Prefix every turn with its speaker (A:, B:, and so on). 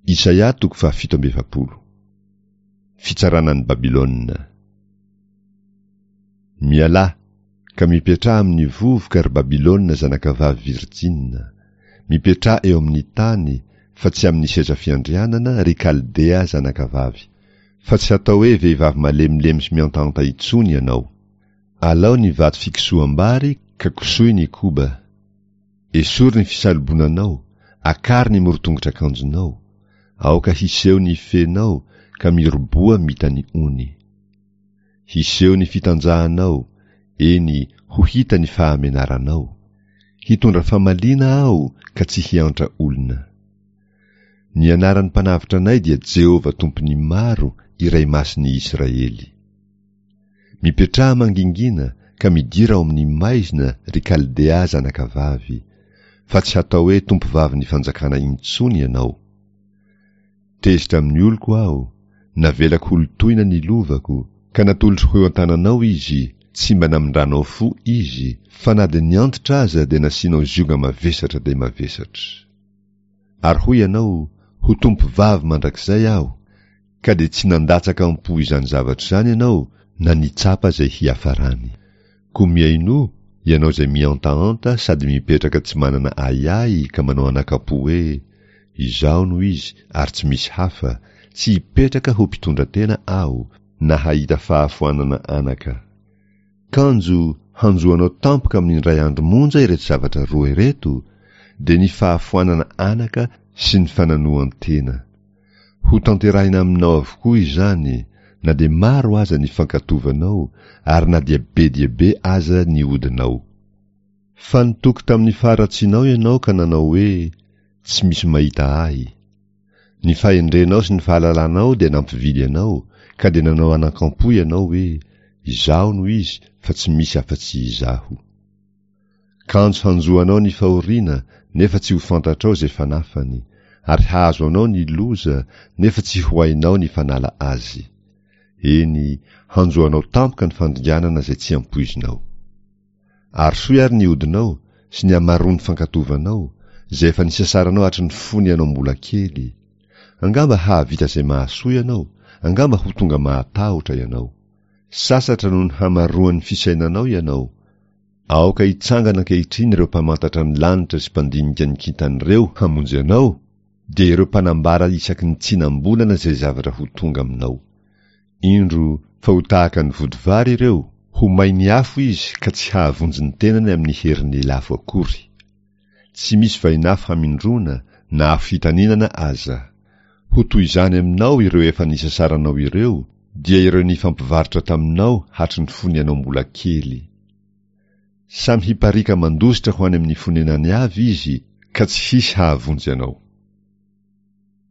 A: Isaia toko fahafito amby 40. Fitsarana an'i Babylona. Mialà, ka mipetraha amin'ny vovoka, ry Babylona zanakavavy virjina. Mipetraha eo amin'ny tany, fa tsy amin'ny seza fiandrianana, ry Kaldea zanakavavy. Fa tsy hatao hoe vehivavy malemilemy sy mihantahanta intsony ianao. Alao ny vato fikosoham-bary ka kosohy ny koba. Esory ny fisalobonanao, akaro ny morotongotr'akanjonao. Aoka hiseho ny fenao ka miroboha mita ny ony. Hiseho ny fitanjahanao, eny, ho hita ny fahamenaranao. Hitondra famaliana aho ka tsy hiantra olona. Ny anaran'ny Mpanavotra anay dia Jehovah Tompon'ny maro, Iray Masin'ny Israely. Mipetraha mangingina ka midira ao amin'ny maizina, ry Kaldea zanakavavy, fa tsy hatao hoe tompovavin'ny fanjakana intsony ianao. Tezitra amin'ny oloko aho, navelako holotoina ny lovako, ka natolotro ho eo an-tananao izy, tsy mba namindranao fo izy, fa na dia niantitra aza dia nasianao zioga mavesatra dia mavesatra. Ary hoy ianao, Ho tompovavy mandrakizay aho, ka dia tsy nandatsaka am-po izany zavatra izany ianao na nitsapa izay hiafarany. Koa mihainoa, ianao izay mihantahanta sady mipetraka tsy manana ahiahy ka manao anakam-po hoe, Izaho no izy ary tsy misy hafa, tsy hipetraka ho mpitondra tena aho, na hahita fahafoanana anaka. Kanjo, hanjo anao tampoka amin'ny indray andro monja ireto zavatra roa ireto, dia ny fahafoanana anaka sy ny fananohan-tena. Ho tanterahina aminao avokoa izany, na dia maro aza ny fankatovanao ary na dia be dia be aza ny odinao. Fa nitoky tamin'ny faharatsianao ianao ka nanao hoe, Tsy misy mahita ahy. Ny fahendrenao sy ny fahalalanao dia nampivily anao, ka dia nanao anankampo ianao hoe, Izaho no izy, fa tsy misy afa-tsy izaho. Kanjo hanjo anao ny fahoriana, nefa tsy ho fantatrao izay fanafany, ary hahazo anao ny loza, nefa tsy ho hainao ny fanala azy. Eny, hanjo anao tampoka ny fandringanana izay tsy ampoizinao. Arosoy ary ny odinao, sy ny hamaroan'ny fankatovanao, izay efa nisasaranao hatry ny fony ianao mbola kely. Angamba hahavita izay mahasoa ianao, angamba ho tonga mahatahotra ianao. Sasatra noho ny hamaroan'ny fisainanao ianao. Aoka hitsangana ankehitriny ireo mpamantatra ny lanitra sy mpandinika ny kintana ireo hamonjy anao, dia ireo mpanambara isaky ny tsinam-bolana izay zavatra ho tonga aminao. Indro fa ho tahaka ny vodivary ireo, ho main'ny afo izy ka tsy hahavonjy ny tenany amin'ny herin'ny lafo akory. Tsy misy vainafo hamindroana na afo hitaninana aza. Ho toy izany aminao ireo efa nisasaranao ireo, dia ireo nifampivarotra taminao hatry ny fony ianao mbola kely. Samy hipariaka mandositra ho any amin'ny fonenany avy izy, ka tsy hisy hahavonjy anao.